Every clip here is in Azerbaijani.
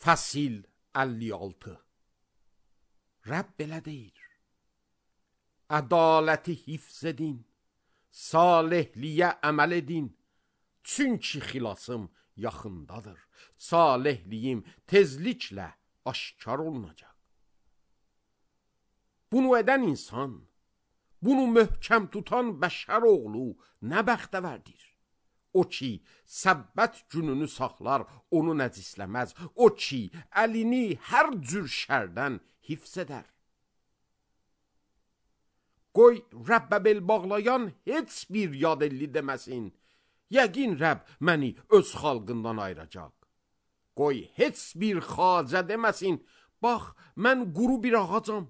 Fəsil 56. Rəbb belə deyir: ədaləti hifz edin, salihliyə əməl edin, çünki xilasım yaxındadır, salihliyim tezliklə aşkar olunacaq. Bunu edən insan, bunu möhkəm tutan bəşər oğlu nə bəxtəvərdir. O ki, səbbət gününü saxlar, onu nəcisləməz. O ki, əlini hər cür şərdən hifz edər. Qoy Rəbbə bel bağlayan heç bir yad elli deməsin. Yəqin Rəbb məni öz xalqından ayıracaq. Qoy heç bir xacə deməsin. Bax, mən quru bir ağacam.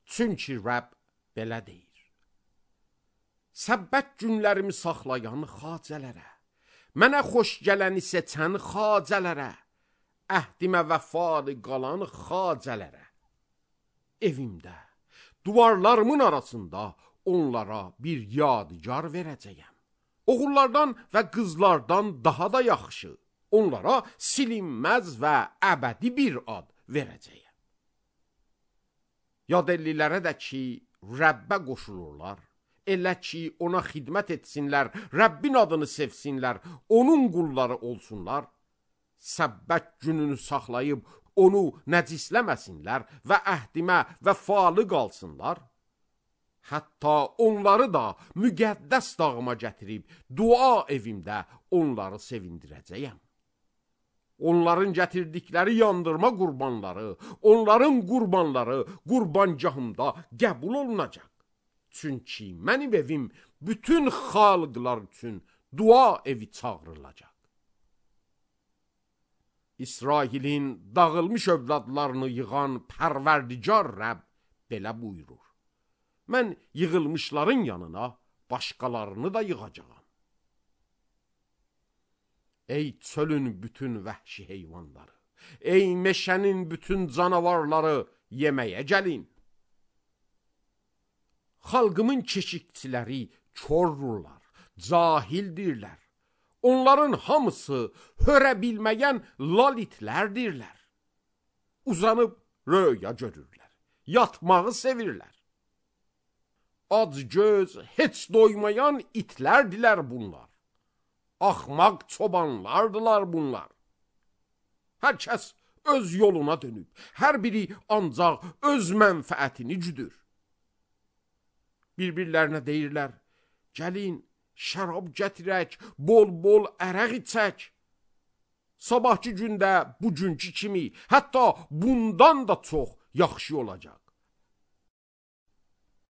Çünki Rəbb belə deyir: səbbət günlərimi saxlayan xacələrə, mənə xoş gələni seçən xacələrə, əhdimə vəfalı qalan xacələrə, evimdə, duvarlarımın arasında onlara bir yadigar verəcəyəm. Oğullardan və qızlardan daha da yaxşı, onlara silinməz və əbədi bir ad verəcəyəm. Yad ellilərə də ki, Rəbbə qoşulurlar, elə ki, ona xidmət etsinlər, Rəbbin adını sevsinlər, onun qulları olsunlar, səbbət gününü saxlayıb onu nəcisləməsinlər və əhdimə vəfalı qalsınlar, hətta onları da müqəddəs dağıma gətirib dua evimdə onları sevindirəcəyəm. Onların gətirdikləri yandırma qurbanları, onların qurbanları qurbangahımda qəbul olunacaq. Çünki mənim evim bütün xalqlar üçün dua evi çağırılacaq. İsrailin dağılmış övladlarını yığan Pərverdigar Rəbb belə buyurur: mən yığılmışların yanına başqalarını da yığacağam. Ey çölün bütün vəhşi heyvanları, ey meşənin bütün canavarları, yeməyə gəlin. Xalqımın keşikçiləri korrurlar, cahildirlər. Onların hamısı hörə bilməyən lalitlərdirlər. Uzanıb röya görürlər, yatmağı sevirlər. Ac göz, heç doymayan itlərdilər bunlar. Axmaq çobanlardılar bunlar. Hər kəs öz yoluna dönüb, hər biri ancaq öz mənfəətini güdür. Bir-birlərinə deyirlər: gəlin, şərab gətirək, bol-bol ərəq içək. Sabahki gündə bugünkü kimi, hətta bundan da çox yaxşı olacaq.